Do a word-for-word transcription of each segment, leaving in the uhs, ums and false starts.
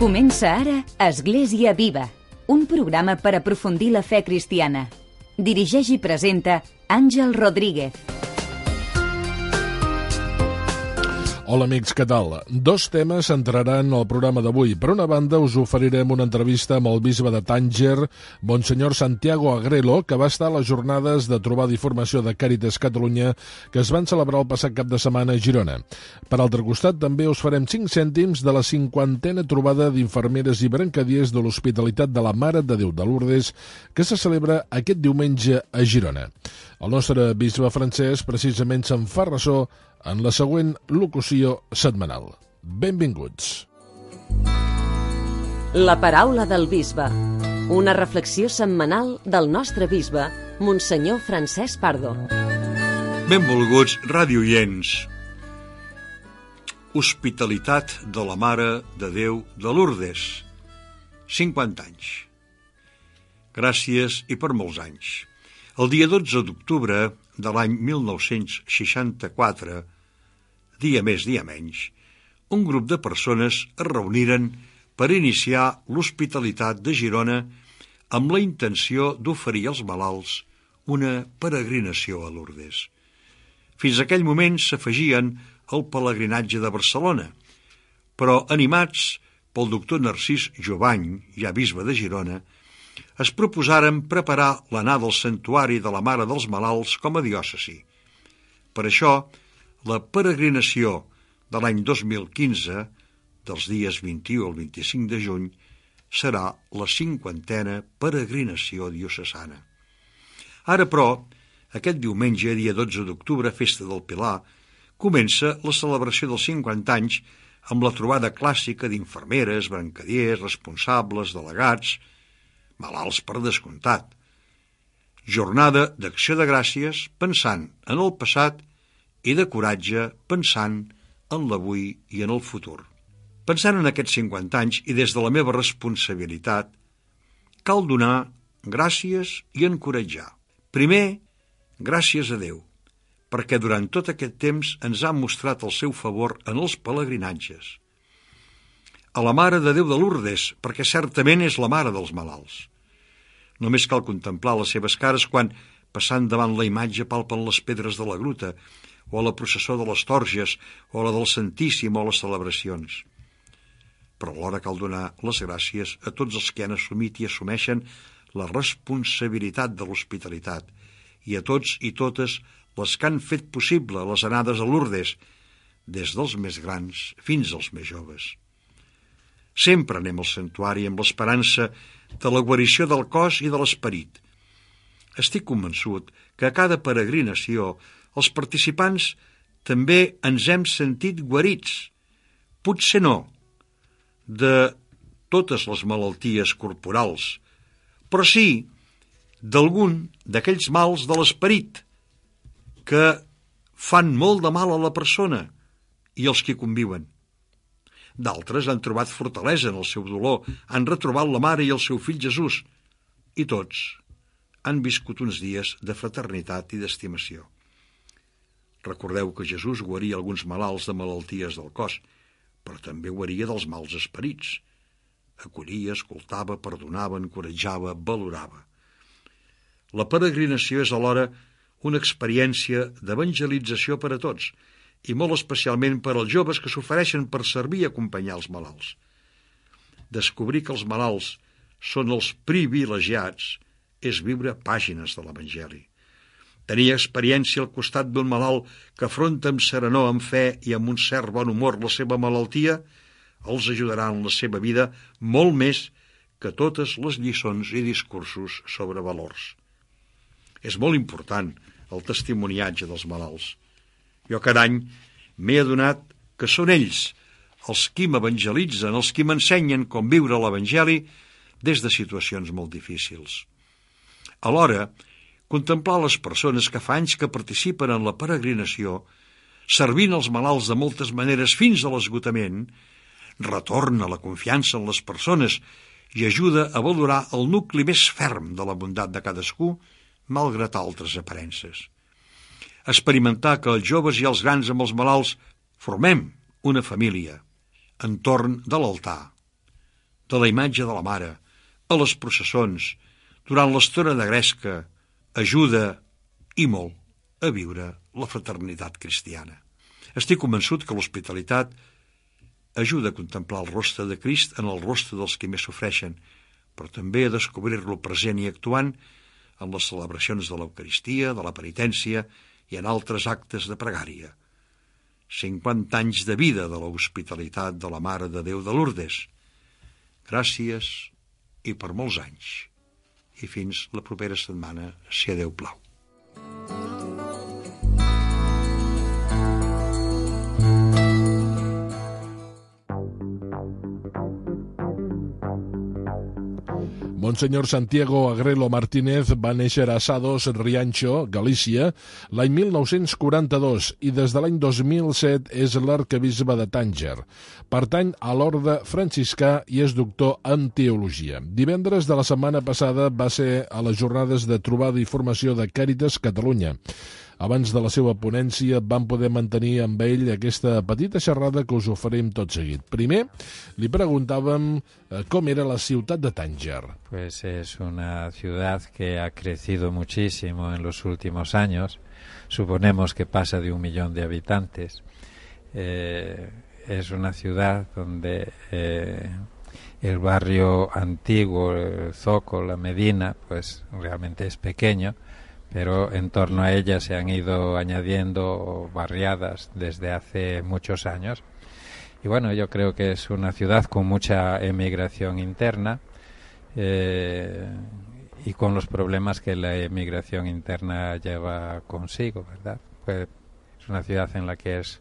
Comença ara Església Viva, un programa per aprofundir la fe cristiana. Dirigeix i presenta Àngel Rodríguez. Hola amics, què tal? Dos temes entraran al programa d'avui. Per una banda, us oferirem una entrevista amb el bisbe de Tànger, Monsenyor Santiago Agrelo, que va estar a les jornades de trobada i formació de Càritas Catalunya que es van celebrar el passat cap de setmana a Girona. Per altre costat, també us farem cinc cèntims de la cinquantena trobada d'infermeres i brancadiers de l'Hospitalitat de la Mare de Déu de Lourdes, que se celebra aquest diumenge a Girona. El nostre bisbe francès precisament se'n fa ressò en la següent locució setmanal. Benvinguts. La paraula del bisbe. Una reflexió setmanal del nostre bisbe, Monsenyor Francesc Pardo. Benvolguts radioients. Hospitalitat de la Mare de Déu de Lourdes. cinquanta anys. Gràcies i per molts anys. El dia dotze d'octubre de l'any mil nou-cents seixanta-quatre, dia més, dia menys, un grup de persones es reuniren per iniciar l'Hospitalitat de Girona amb la intenció d'oferir als malalts una peregrinació a Lourdes. Fins aquell moment s'afegien al pelegrinatge de Barcelona, però animats pel doctor Narcís Jovany, ja bisbe de Girona, es proposaren preparar l'anada al santuari de la Mare dels Malalts com a diòcesi. Per això, la peregrinació de l'any dos mil quinze, dels dies vint-i-u al vint-i-cinc de juny, serà la cinquantena peregrinació diocesana. Ara, però, aquest diumenge, dia dotze d'octubre, festa del Pilar, comença la celebració dels cinquanta anys amb la trobada clàssica d'infermeres, brancadiers, responsables, delegats, malalts per descomptat. Jornada d'acció de gràcies pensant en el passat i de coratge pensant en l'avui i en el futur. Pensant en aquests cinquanta anys i des de la meva responsabilitat, cal donar gràcies i encoratjar. Primer, gràcies a Déu, perquè durant tot aquest temps ens ha mostrat el seu favor en els pelegrinatges. A la Mare de Déu de Lourdes, perquè certament és la mare dels malalts. Només cal contemplar les seves cares quan, passant davant la imatge, palpen les pedres de la gruta, o a la processó de les Torges, o a la del Santíssim, o a les celebracions. Però alhora cal donar les gràcies a tots els que han assumit i assumeixen la responsabilitat de l'hospitalitat, i a tots i totes les que han fet possible les anades a Lourdes, des dels més grans fins als més joves. Sempre anem al santuari amb l'esperança de la guarició del cos i de l'esperit. Estic convençut que a cada peregrinació els participants també ens hem sentit guarits, potser no de totes les malalties corporals, però sí d'algun d'aquells mals de l'esperit que fan molt de mal a la persona i els que conviuen. D'altres han trobat fortalesa en el seu dolor, han retrobat la mare i el seu fill Jesús, i tots han viscut uns dies de fraternitat i d'estimació. Recordeu que Jesús guaria alguns malalts de malalties del cos, però també guaria dels mals esperits. Acollia, escoltava, perdonava, encoratjava, valorava. La peregrinació és alhora una experiència d'evangelització per a tots, i molt especialment per als joves que s'ofereixen per servir i acompanyar els malalts. Descobrir que els malalts són els privilegiats és viure pàgines de l'Evangeli. Tenir experiència al costat d'un malalt que afronta amb serenor, amb fe i amb un cert bon humor la seva malaltia els ajudarà en la seva vida molt més que totes les lliçons i discursos sobre valors. És molt important el testimoniatge dels malalts. Jo cada any m'he adonat que són ells els qui m'evangelitzen, els qui m'ensenyen com viure l'Evangeli des de situacions molt difícils. Alhora, contemplar les persones que fa anys que participen en la peregrinació, servint els malalts de moltes maneres fins a l'esgotament, retorna la confiança en les persones i ajuda a valorar el nucli més ferm de la bondat de cadascú, malgrat altres aparences. Experimentar que els joves i els grans amb els malalts formem una família entorn de l'altar. de la imatge de la Mare, a les processons, durant l'estona de gresca, ajuda, i molt, a viure la fraternitat cristiana. Estic convençut que l'hospitalitat ajuda a contemplar el rostre de Crist en el rostre dels que més sofreixen, però també a descobrir-lo present i actuant en les celebracions de l'Eucaristia, de la penitència i en altres actes de pregària. cinquanta anys de vida de l'hospitalitat de la Mare de Déu de Lourdes. Gràcies i per molts anys. I fins la propera setmana, si a Déu plau. Monsenyor Santiago Agrelo Martínez va néixer a Sados, Riancho, Galícia, l'any mil nou-cents quaranta-dos i des de l'any dos mil set és l'arquebisbe de Tànger. Pertany a l'orde franciscà i és doctor en teologia. Divendres de la setmana passada va ser a les jornades de trobada i formació de Càritas Catalunya. Abans de la seva ponència vam poder mantenir amb ell aquesta petita xerrada que us oferim tot seguit. Primer, li preguntàvem eh, com era la ciutat de Tànger. Pues es una ciudad que ha crecido muchísimo en los últimos años. Suponemos que pasa de un millón de habitantes. Eh, es una ciudad donde eh, el barrio antiguo, el Zoco, la Medina, pues realmente es pequeño, pero en torno a ella se han ido añadiendo barriadas desde hace muchos años. Y bueno, yo creo que es una ciudad con mucha emigración interna eh, y con los problemas que la emigración interna lleva consigo, ¿verdad? Pues es una ciudad en la que es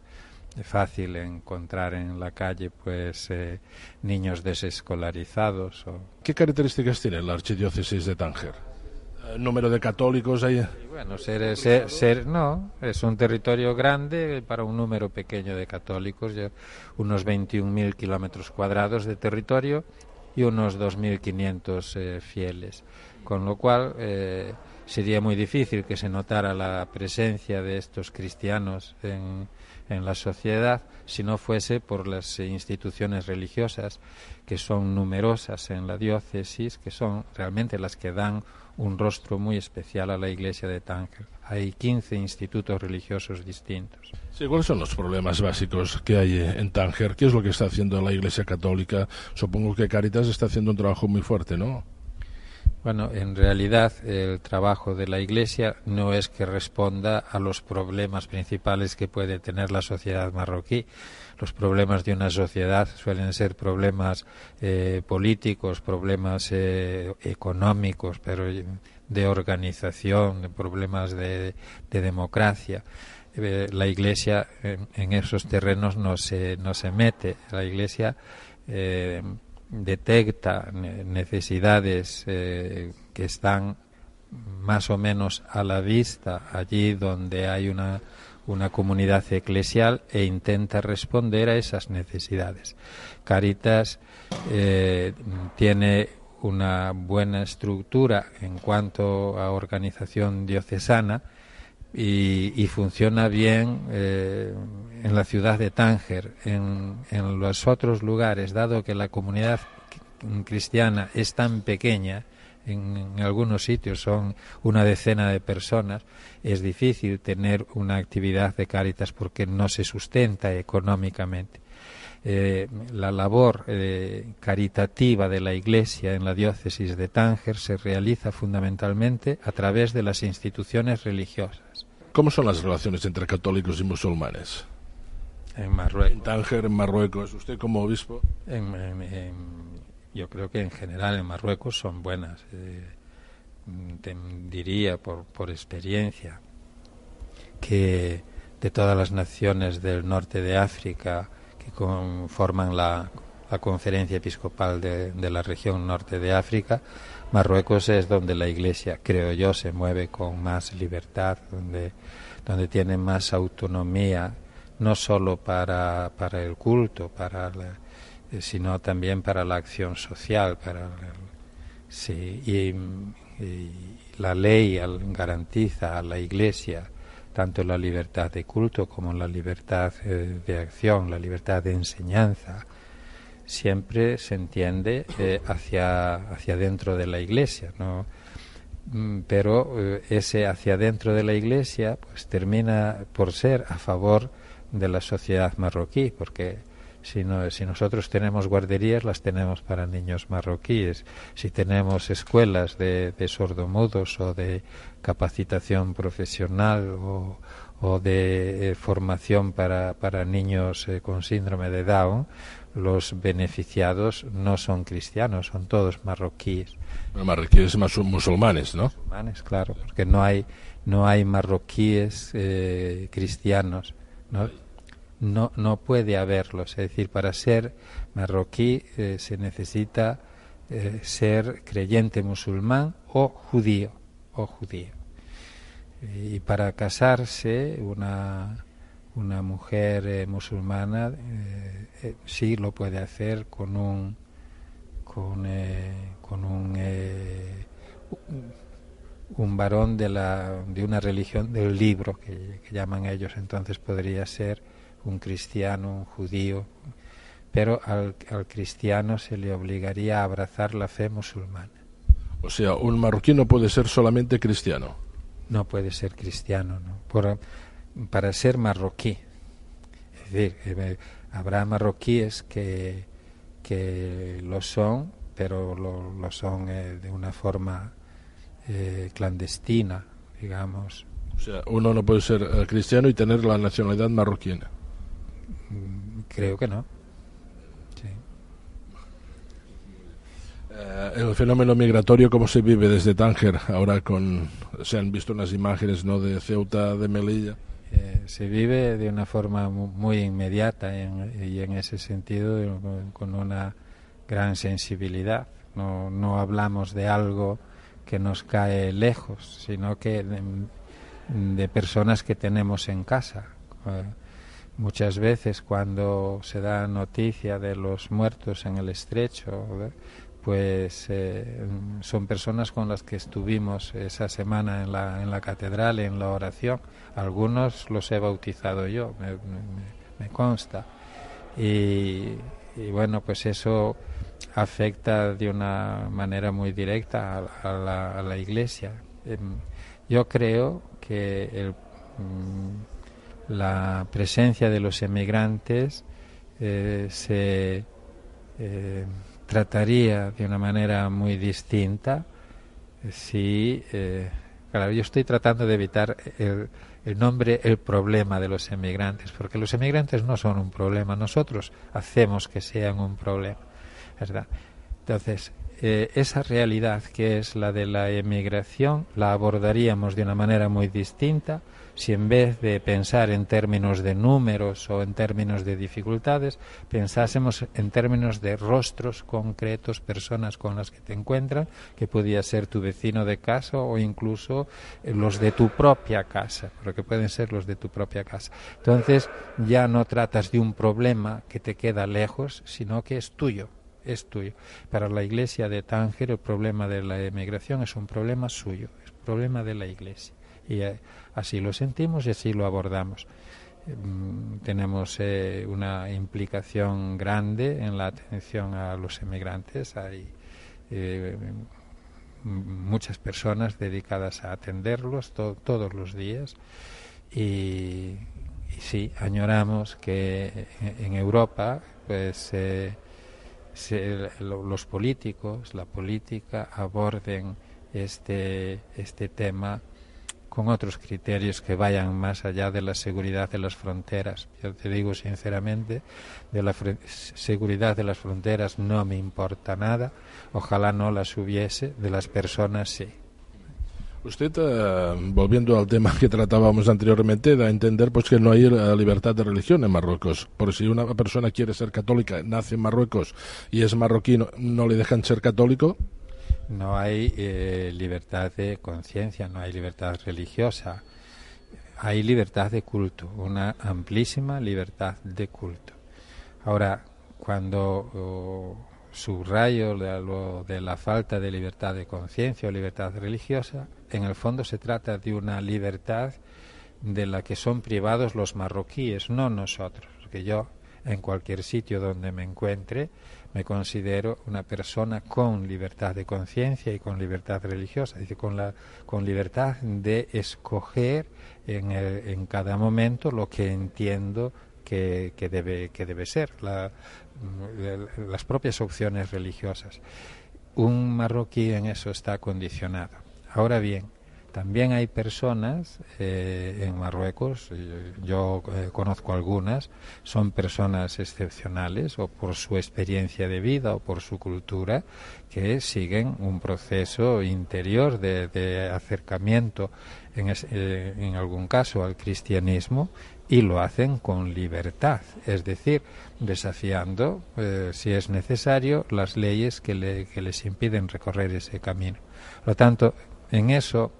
fácil encontrar en la calle pues eh, niños desescolarizados. O... ¿Qué características tiene la archidiócesis de Tánger? ¿Número de católicos ahí? Y bueno, ser, ser, ser, no, es un territorio grande para un número pequeño de católicos, unos veintiún mil kilómetros cuadrados de territorio y unos dos mil quinientos eh, fieles, con lo cual eh, sería muy difícil que se notara la presencia de estos cristianos en, en la sociedad si no fuese por las instituciones religiosas que son numerosas en la diócesis, que son realmente las que dan un rostro muy especial a la iglesia de Tánger. Hay quince institutos religiosos distintos. Sí, ¿cuáles son los problemas básicos que hay en Tánger? ¿Qué es lo que está haciendo la Iglesia Católica? Supongo que Cáritas está haciendo un trabajo muy fuerte, ¿no? Bueno, en realidad el trabajo de la Iglesia no es que responda a los problemas principales que puede tener la sociedad marroquí. Los problemas de una sociedad suelen ser problemas eh, políticos, problemas eh, económicos, pero de organización, de problemas de, de democracia. Eh, la Iglesia en, en esos terrenos no se, no se mete. La Iglesia eh, detecta necesidades eh, que están más o menos a la vista allí donde hay una una comunidad eclesial e intenta responder a esas necesidades. Cáritas eh, tiene una buena estructura en cuanto a organización diocesana y, y funciona bien eh, en la ciudad de Tánger. En, en los otros lugares, dado que la comunidad cristiana es tan pequeña, en, en algunos sitios son una decena de personas, es difícil tener una actividad de Cáritas porque no se sustenta económicamente. Eh, la labor eh, caritativa de la Iglesia en la diócesis de Tánger se realiza fundamentalmente a través de las instituciones religiosas. ¿Cómo son las relaciones entre católicos y musulmanes? En Marruecos. En Tánger, en Marruecos. ¿Usted como obispo? En, en, en, yo creo que en general en Marruecos son buenas. Eh, te diría por, por experiencia que de todas las naciones del norte de África que conforman la, la conferencia episcopal de, de la región norte de África, Marruecos es donde la Iglesia, creo yo, se mueve con más libertad, donde, donde tiene más autonomía, no solo para, para el culto, para la, sino también para la acción social, para la, sí, y, y la ley garantiza a la Iglesia tanto la libertad de culto como la libertad eh, de acción, la libertad de enseñanza. siempre se entiende eh, hacia, hacia dentro de la Iglesia, ¿no? Pero eh, ese hacia dentro de la Iglesia pues termina por ser a favor de la sociedad marroquí, porque si, no, si nosotros tenemos guarderías, las tenemos para niños marroquíes. Si tenemos escuelas de, de sordomudos o de capacitación profesional o, o de eh, formación para, para niños eh, con síndrome de Down, los beneficiados no son cristianos, son todos marroquíes. Marroquíes más musulmanes, ¿no? Musulmanes, claro, porque no hay no hay marroquíes eh, cristianos, ¿no? No, no puede haberlos. Es decir, para ser marroquí eh, se necesita eh, ser creyente musulmán o judío, o judío. Y para casarse una una mujer eh, musulmana eh, eh, sí lo puede hacer con un con eh, con un eh, un varón de la de una religión del libro que, que llaman ellos. Entonces podría ser un cristiano, un judío, pero al, al cristiano se le obligaría a abrazar la fe musulmana. O sea, un marroquí no puede ser solamente cristiano. No puede ser cristiano, ¿no? Por, para ser marroquí. Es decir, eh, habrá marroquíes que, que lo son, pero lo, lo son eh, de una forma eh, clandestina, digamos. O sea, uno no puede ser eh, cristiano y tener la nacionalidad marroquina. Creo que no. Sí. Eh, el fenómeno migratorio, ¿cómo se vive desde Tánger? Ahora con se han visto unas imágenes, ¿no?, de Ceuta, de Melilla. Eh, se vive de una forma muy inmediata en, y en ese sentido con una gran sensibilidad. No, no hablamos de algo que nos cae lejos, sino que de, de personas que tenemos en casa. Eh, muchas veces cuando se da noticia de los muertos en el Estrecho, pues eh, son personas con las que estuvimos esa semana en la, en la catedral, en la oración. Algunos los he bautizado yo, me, me, me consta. Y, y bueno, pues eso afecta de una manera muy directa a, a, la, a la Iglesia. Eh, yo creo que el, mm, la presencia de los emigrantes eh, se eh, trataría de una manera muy distinta si... Eh, claro, yo estoy tratando de evitar el, el nombre, el problema de los emigrantes, porque los emigrantes no son un problema, nosotros hacemos que sean un problema, ¿verdad? Entonces, eh, esa realidad que es la de la emigración la abordaríamos de una manera muy distinta si en vez de pensar en términos de números o en términos de dificultades, pensásemos en términos de rostros concretos, personas con las que te encuentras, que podía ser tu vecino de casa o incluso los de tu propia casa, porque pueden ser los de tu propia casa. Entonces ya no tratas de un problema que te queda lejos, sino que es tuyo. es tuyo. Para la Iglesia de Tánger el problema de la emigración es un problema suyo, es un problema de la Iglesia. Y eh, así lo sentimos y así lo abordamos. Eh, tenemos eh, una implicación grande en la atención a los emigrantes. Hay eh, muchas personas dedicadas a atenderlos to- todos los días. Y, y sí, añoramos que en Europa pues eh, se, los políticos, la política aborden este, este tema con otros criterios que vayan más allá de la seguridad de las fronteras. Yo te digo sinceramente, de la fr- seguridad de las fronteras no me importa nada, ojalá no las hubiese, de las personas sí. Usted, eh, volviendo al tema que tratábamos anteriormente, da a entender pues que no hay eh, libertad de religión en Marruecos. Por si una persona quiere ser católica, nace en Marruecos y es marroquí, ¿no, no le dejan ser católico? No hay eh, libertad de conciencia, no hay libertad religiosa. Hay libertad de culto, una amplísima libertad de culto. Ahora, cuando oh, subrayo de, lo, de la falta de libertad de conciencia o libertad religiosa, en el fondo se trata de una libertad de la que son privados los marroquíes, no nosotros. Porque yo en cualquier sitio donde me encuentre, me considero una persona con libertad de conciencia y con libertad religiosa, es decir, con, la, con libertad de escoger en, el, en cada momento lo que entiendo que, que, debe, que debe ser, la, las propias opciones religiosas. Un marroquí en eso está condicionado. Ahora bien, también hay personas eh, en Marruecos, yo eh, conozco algunas, son personas excepcionales o por su experiencia de vida o por su cultura, que siguen un proceso interior de, de acercamiento, en, es, eh, en algún caso, al cristianismo, y lo hacen con libertad, es decir, desafiando, eh, si es necesario, las leyes que, le, que les impiden recorrer ese camino. Por lo tanto, en eso,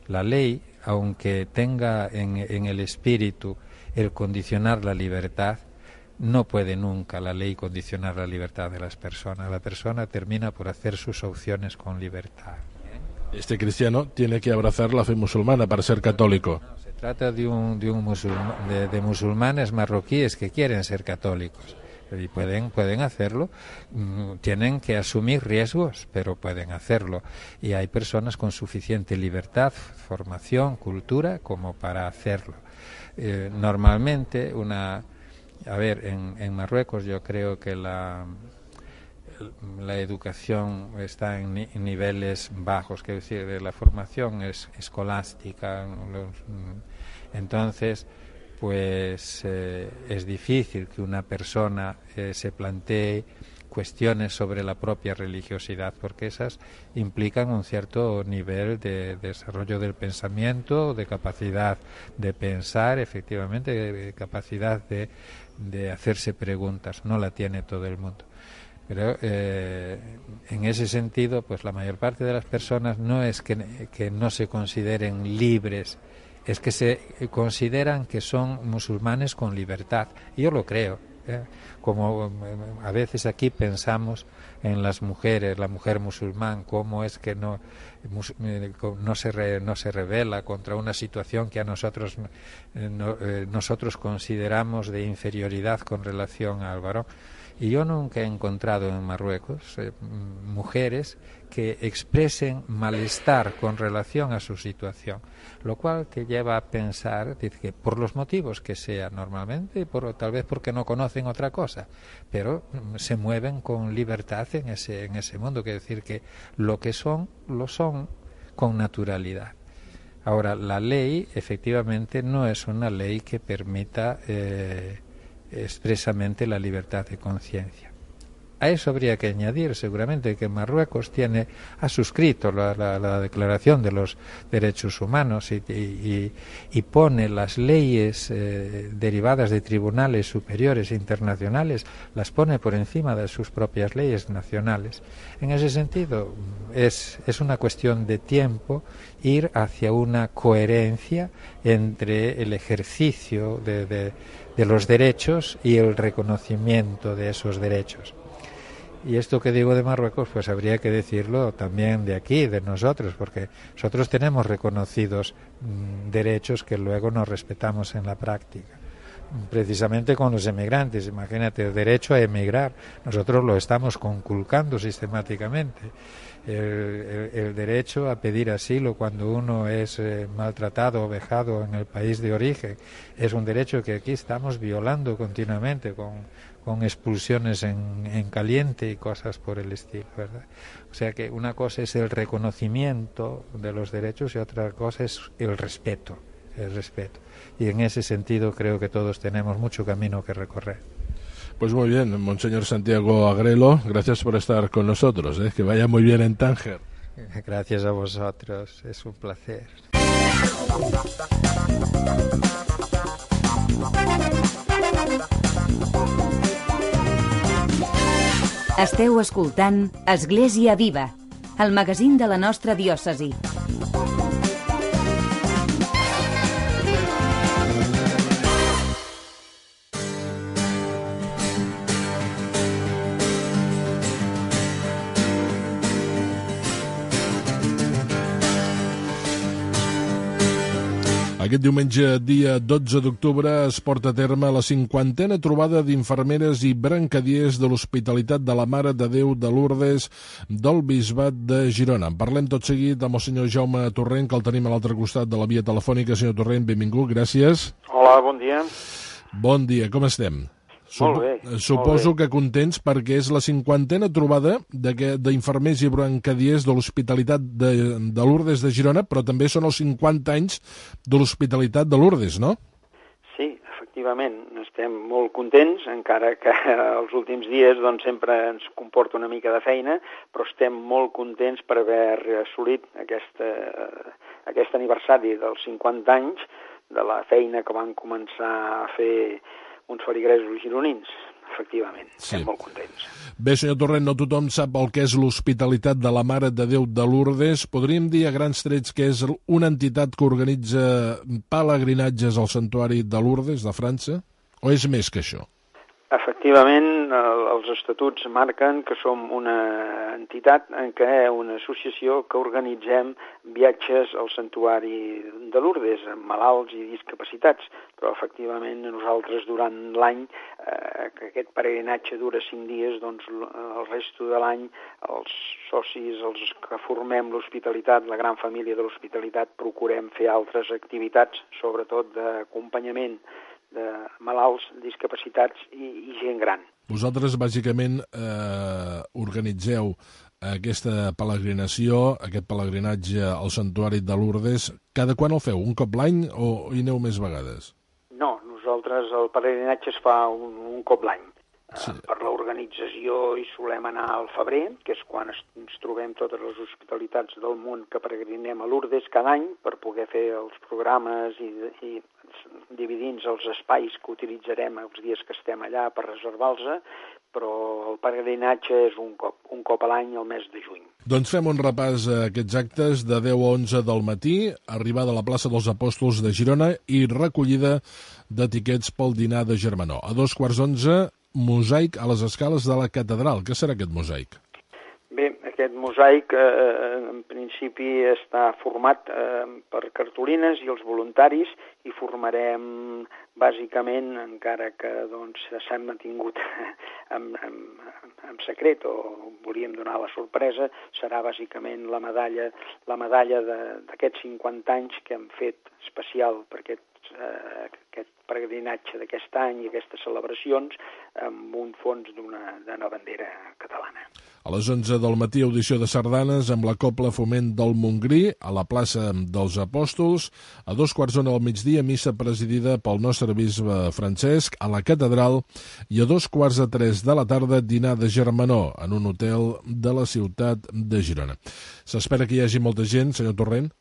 la ley, aunque tenga en, en el espíritu el condicionar la libertad, no puede nunca la ley condicionar la libertad de las personas. La persona termina por hacer sus opciones con libertad. Este cristiano tiene que abrazar la fe musulmana para ser católico. No, se trata de, un, de, un musulma, de, de musulmanes marroquíes que quieren ser católicos. Y pueden, pueden hacerlo, tienen que asumir riesgos, pero pueden hacerlo. Y hay personas con suficiente libertad, formación, cultura, como para hacerlo. Eh, normalmente, una, a ver, en, en Marruecos yo creo que la, la educación está en, ni, en niveles bajos, quiero decir, la formación es escolástica. Los, entonces, pues eh, es difícil que una persona eh, se plantee cuestiones sobre la propia religiosidad, porque esas implican un cierto nivel de, de desarrollo del pensamiento, de capacidad de pensar, efectivamente, de capacidad de, de hacerse preguntas. No la tiene todo el mundo. Pero eh, en ese sentido, pues la mayor parte de las personas no es que, que no se consideren libres, es que se consideran que son musulmanes con libertad. Yo lo creo. ¿eh? Como a veces aquí pensamos en las mujeres, la mujer musulmán, cómo es que no, no, se, re, no se rebela contra una situación que a nosotros, no, eh, nosotros consideramos de inferioridad con relación al varón. Y yo nunca he encontrado en Marruecos eh, mujeres que expresen malestar con relación a su situación, lo cual te lleva a pensar dice, que por los motivos que sea normalmente, por, tal vez porque no conocen otra cosa, pero mm, se mueven con libertad en ese, en ese mundo, quiere decir que lo que son, lo son con naturalidad. Ahora, la ley efectivamente no es una ley que permita eh, expresamente la libertad de conciencia. A eso habría que añadir seguramente que Marruecos tiene ha suscrito la, la, la Declaración de los Derechos Humanos y, y, y pone las leyes eh, derivadas de tribunales superiores internacionales, las pone por encima de sus propias leyes nacionales. En ese sentido es, es una cuestión de tiempo ir hacia una coherencia entre el ejercicio de, de, de los derechos y el reconocimiento de esos derechos. Y esto que digo de Marruecos, pues habría que decirlo también de aquí, de nosotros, porque nosotros tenemos reconocidos mmm, derechos que luego no respetamos en la práctica. Precisamente con los emigrantes, imagínate, el derecho a emigrar, nosotros lo estamos conculcando sistemáticamente. El, el, el derecho a pedir asilo cuando uno es eh, maltratado o vejado en el país de origen es un derecho que aquí estamos violando continuamente con, con expulsiones en, en caliente y cosas por el estilo, ¿verdad? O sea que una cosa es el reconocimiento de los derechos y otra cosa es el respeto, el respeto. Y en ese sentido creo que todos tenemos mucho camino que recorrer. Pues muy bien, Monseñor Santiago Agrelo, gracias por estar con nosotros, ¿eh? Que vaya muy bien en Tánger. Gracias a vosotros, es un placer. Esteu escoltant Església Viva, el magazín de la nostra diòcesi. Aquest diumenge, dia dotze d'octubre, es porta a terme la cinquantena trobada d'infermeres i brancadiers de l'Hospitalitat de la Mare de Déu de Lourdes del Bisbat de Girona. En parlem tot seguit amb el senyor Jaume Torrent, que el tenim a l'altre costat de la via telefònica. Senyor Torrent, benvingut, gràcies. Hola, bon dia. Bon dia, com estem? Molt bé. Suposo molt bé. que contents perquè és la cinquantena trobada d'infermers i brancadiers de l'Hospitalitat de, de Lourdes de Girona, però també són els cinquanta anys de l'Hospitalitat de Lourdes, no? Sí, efectivament, estem molt contents, encara que els últims dies doncs, sempre ens comporta una mica de feina, però estem molt contents per haver assolit aquesta, aquest aniversari dels cinquanta anys de la feina que van començar a fer uns feligresos gironins, efectivament, sí. Estem molt contents. Bé, senyor Torrent, no tothom sap el que és l'Hospitalitat de la Mare de Déu de Lourdes. Podríem dir a grans trets que és una entitat que organitza pelegrinatges al Santuari de Lourdes de França? O és més que això? Efectivament, els estatuts marquen que som una entitat en què una associació que organitzem viatges al Santuari de Lourdes, amb malalts i discapacitats, però efectivament nosaltres durant l'any, eh, que aquest peregrinatge dura cinc dies, doncs el resto de l'any els socis, els que formem l'hospitalitat, la gran família de l'hospitalitat, procurem fer altres activitats, sobretot d'acompanyament de malalts, discapacitats i, i gent gran. Vosaltres, bàsicament, eh, organitzeu aquesta peregrinació, aquest pelegrinatge al Santuari de Lourdes. Cada quan el feu? Un cop l'any o hi aneu més vegades? No, nosaltres el peregrinatge es fa un, un cop l'any. Sí. Uh, per l'organització hi solem anar al febrer, que és quan es, ens trobem totes les hospitalitats del món que peregrinem a Lourdes cada any per poder fer els programes i, i dividint els espais que utilitzarem els dies que estem allà per reservar-los, però el peregrinatge és un cop, un cop a l'any al mes de juny. Doncs fem un repàs a aquests actes de deu a onze del matí, arribada a la plaça dels Apòstols de Girona i recollida de tiquets pel dinar de Germanó. A dos quarts d'onze, mosaic a les escales de la catedral. Què serà aquest mosaic? Bé, aquest mosaic eh, en principi està format eh, per cartolines i els voluntaris i formarem bàsicament, encara que doncs, s'han mantingut en, en, en secret o volíem donar la sorpresa, serà bàsicament la medalla, la medalla d'aquests cinquanta anys que hem fet especial per aquest, eh, aquest peregrinatge d'aquest any i aquestes celebracions amb un fons d'una d'una bandera catalana. A les onze del matí, audició de sardanes amb la Cobla Foment del Montgrí a la plaça dels Apòstols. A dos quarts d'ona al migdia, missa presidida pel nostre bisbe Francesc a la catedral i a dos quarts de tres de la tarda dinar de Germanó en un hotel de la ciutat de Girona. S'espera que hi hagi molta gent, senyor Torrent?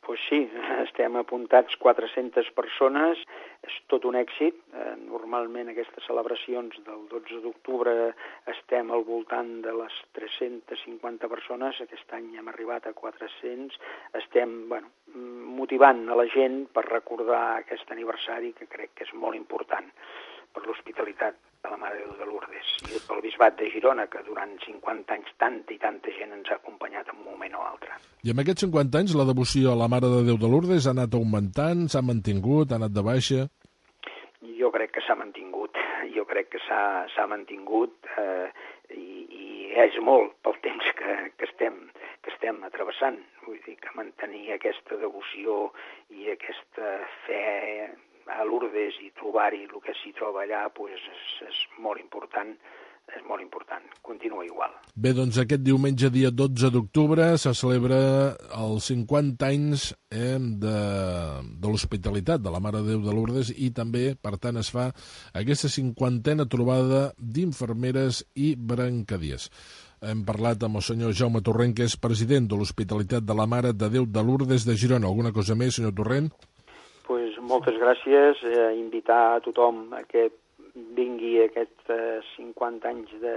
Pues sí, estem apuntats quatre-centes persones, és tot un èxit. Eh, normalment aquestes celebracions del dotze d'octubre estem al voltant de les tres-centes cinquanta persones, aquest any hem arribat a quatre-cents, estem bueno, motivant a la gent per recordar aquest aniversari que crec que és molt important per l'hospitalitat de la Mare de Déu de Lourdes i pel Bisbat de Girona, que durant cinquanta anys tanta i tanta gent ens ha acompanyat en un moment o altre. I en aquests cinquanta anys la devoció a la Mare de Déu de Lourdes ha anat augmentant, s'ha mantingut, ha anat de baixa? Jo crec que s'ha mantingut, jo crec que s'ha mantingut eh, i, i és molt pel temps que, que, estem, que estem travessant. Vull dir que mantenir aquesta devoció i aquesta fe a Lourdes i trobar-hi el que s'hi troba allà pues, és, és molt important, és molt important, continua igual. Bé, doncs aquest diumenge, dia dotze d'octubre, se celebra els cinquanta anys eh, de, de l'hospitalitat de la Mare de Déu de Lourdes i també, per tant, es fa aquesta cinquantena trobada d'infermeres i brancadiers. Hem parlat amb el senyor Jaume Torrent, que és president de l'Hospitalitat de la Mare de Déu de Lourdes de Girona. Alguna cosa més, senyor Torrent? Pues moltes gràcies, eh, invitar a tothom a que vingui aquests eh, cinquanta anys de,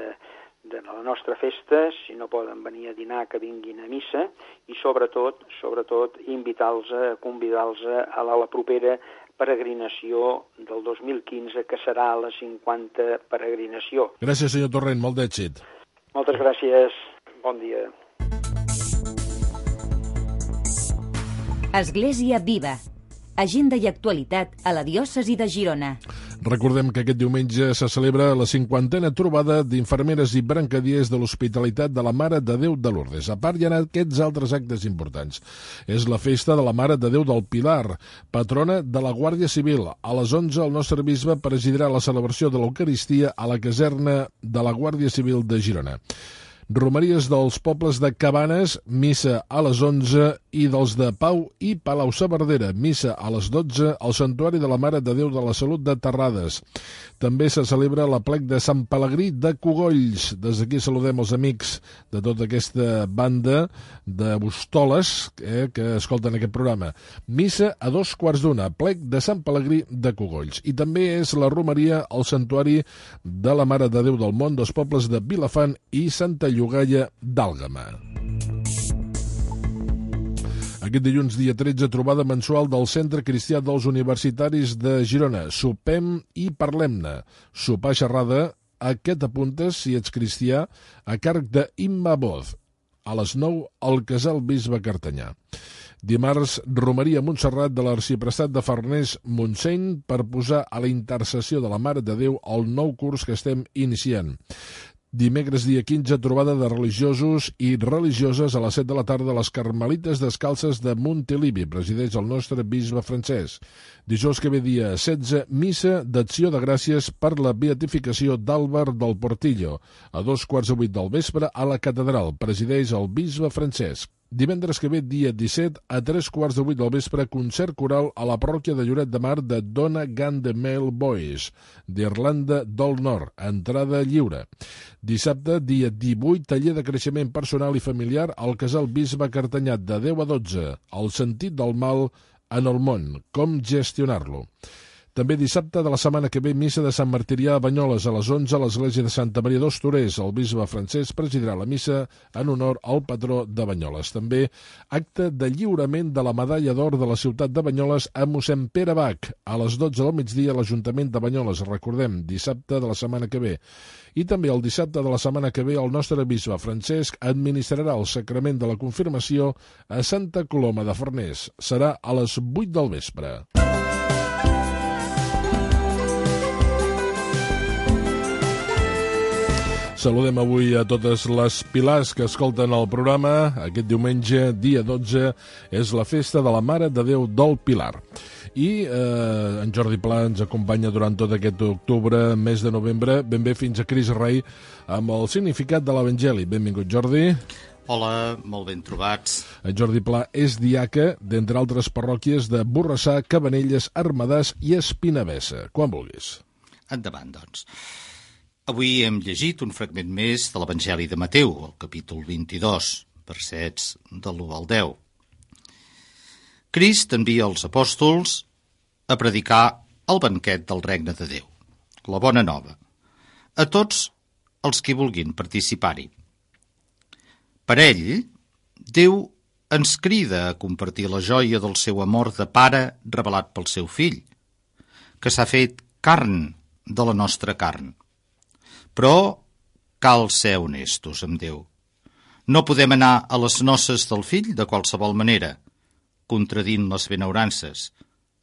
de la nostra festa, si no poden venir a dinar, que vinguin a missa, i sobretot, sobretot invitar-los, a convidar-los a la, la propera peregrinació del dos mil quinze, que serà la cinquanta peregrinació. Gràcies, senyor Torrent, molt d'èxit. Moltes gràcies, bon dia. Església Viva, agenda i actualitat a la diòcesi de Girona. Recordem que aquest diumenge se celebra la cinquantena trobada d'infermeres i brancadiers de l'Hospitalitat de la Mare de Déu de Lourdes. A part, hi ha aquests altres actes importants. És la festa de la Mare de Déu del Pilar, patrona de la Guàrdia Civil. A les onze el nostre bisbe presidirà la celebració de l'Eucaristia a la caserna de la Guàrdia Civil de Girona. Romeries dels pobles de Cabanes, missa a les onze, i dels de Pau i Palau-saverdera, missa a les dotze, al Santuari de la Mare de Déu de la Salut de Terrades. També se celebra l'aplec de Sant Pelegrí de Cogolls. Des d'aquí saludem els amics de tota aquesta banda de Bostoles eh, que escolten aquest programa. Missa a dos quarts d'una, aplec de Sant Pelegrí de Cogolls. I també és la romeria al Santuari de la Mare de Déu del Món dels pobles de Vilafant i Santa Llogaia d'Àlgama. Aquest dilluns, dia tretze, trobada mensual del Centre Cristià dels Universitaris de Girona. Sopem i parlem-ne. Sopar xerrada, a què t'apuntes si ets cristià, a càrrec d'Imma Boz. A les nou, al Casal Bisbe Cartanyà. Dimarts, romeria a Montserrat de l'Arxiprestat de Farners Montseny per posar a la intercessió de la Mare de Déu el nou curs que estem iniciant. Dimecres, dia quinze, trobada de religiosos i religioses a les set de la tarda a les Carmelites Descalces de Montilivi. Presideix el nostre bisbe Francesc. Dijous que ve, dia setze, missa d'acció de gràcies per la beatificació d'Àlvar del Portillo. A dos quarts de vuit del vespre a la catedral. Presideix el bisbe Francesc. Divendres que ve, dia disset, a tres quarts de vuit del vespre, concert coral a la parròquia de Lloret de Mar de Dona Gande Male Boys, d'Irlanda del Nord, entrada lliure. Dissabte, dia divuit, taller de creixement personal i familiar al Casal Bisbe Cartanyà de deu a dotze, el sentit del mal en el món, com gestionar-lo. També dissabte de la setmana que ve, missa de Sant Martirià a Banyoles a les onze a l'església de Santa Maria dos Torers. El bisbe Francesc presidirà la missa en honor al patró de Banyoles. També acte de lliurament de la medalla d'or de la ciutat de Banyoles a mossèn Pere Bach a les dotze del migdia a l'Ajuntament de Banyoles. Recordem, dissabte de la setmana que ve. I també el dissabte de la setmana que ve el nostre bisbe Francesc administrarà el sacrament de la confirmació a Santa Coloma de Farners. Serà a les vuit del vespre. Saludem avui a totes les pilars que escolten el programa. Aquest diumenge, dia dotze, és la festa de la Mare de Déu del Pilar. I eh, en Jordi Pla ens acompanya durant tot aquest octubre, mes de novembre, ben bé fins a Cris Rei, amb el significat de l'Evangeli. Benvingut, Jordi. Hola, molt ben trobats. En Jordi Pla és diaca, d'entre altres parròquies de Borrassà, Cabanelles, Armadàs i Espinavessa. Quan vulguis. Endavant, doncs. Avui hem llegit un fragment més de l'Evangeli de Mateu, el capítol vint-i-dos, versets de l'u al deu. Crist envia els apòstols a predicar el banquet del regne de Déu, la bona nova, a tots els que vulguin participar-hi. Per ell, Déu ens crida a compartir la joia del seu amor de pare revelat pel seu fill, que s'ha fet carn de la nostra carn. Però cal ser honestos amb Déu. No podem anar a les noces del fill de qualsevol manera, contradint les benaurances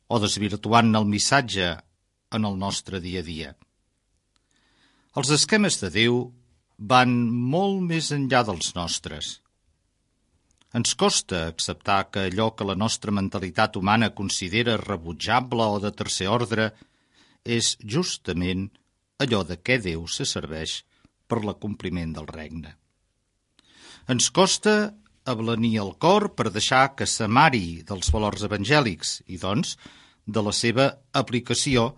o desvirtuant el missatge en el nostre dia a dia. Els esquemes de Déu van molt més enllà dels nostres. Ens costa acceptar que allò que la nostra mentalitat humana considera rebutjable o de tercer ordre és justament allò de què Déu se serveix per l'acompliment del regne. Ens costa ablanir el cor per deixar que s'amari dels valors evangèlics i, doncs, de la seva aplicació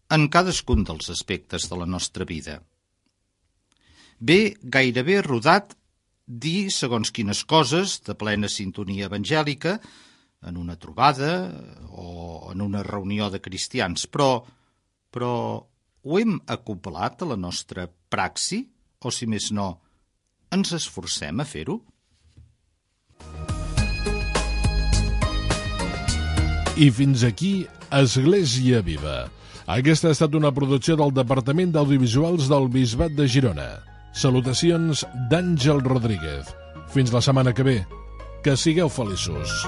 en cadascun dels aspectes de la nostra vida. Ve gairebé rodat dir segons quines coses de plena sintonia evangèlica en una trobada o en una reunió de cristians, però, però ho hem acoblat a la nostra praxi? O, si més no, ens esforcem a fer-ho? I fins aquí, Església Viva. Aquesta ha estat una producció del Departament d'Audiovisuals del Bisbat de Girona. Salutacions d'Àngel Rodríguez. Fins la setmana que ve. Que sigueu feliços.